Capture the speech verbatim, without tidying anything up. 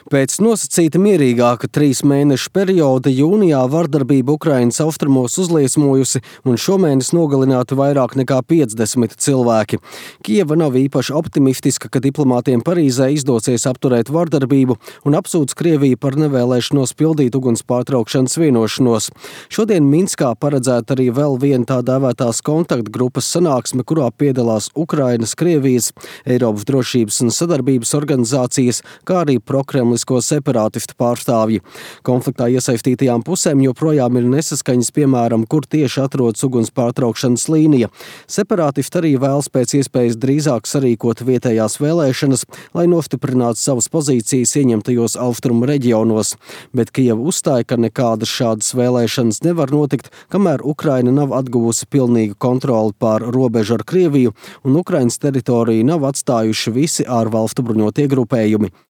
Pēc nosacīta mierīgāka trīs mēnešu perioda jūnijā vardarbība Ukrainas austrumos uzliesmojusi un šomēnes nogalināti vairāk nekā piecdesmit cilvēki. Kijeva nav īpaši optimistiska, ka diplomātiem Parīzē izdosies apturēt vardarbību un apsūdz Krieviju par nevēlēšanos pildīt uguns pārtraukšanas vienošanos. Šodien Minskā paredzēta arī vēl viena tā dēvētās kontaktgrupas sanāksme, kurā piedalās Ukrainas, Krievijas, Eiropas drošības un sadarbības organizācijas, kā arī prokremlisko separātistu pārstāvji. Konfliktā iesaistītajām pusēm joprojām ir nesaskaņas, piemēram, kur tieši atrodas uguns pārtraukšanas līnija. Separātisti arī vēlas pēc iespējas drīzāk sarīkot vietējās vēlēšanas, lai nostiprinātu savas pozīcijas ieņemtajos austrumu reģionos. Bet Kijeva uzstāja, ka nekādas šādas vēlēšanas nevar notikt, kamēr Ukraina nav atguvusi pilnīgu kontroli pār robežu ar Krieviju un Ukrainas teritoriju nav atstājuši visi ārvalstu bruņotie grupējumi.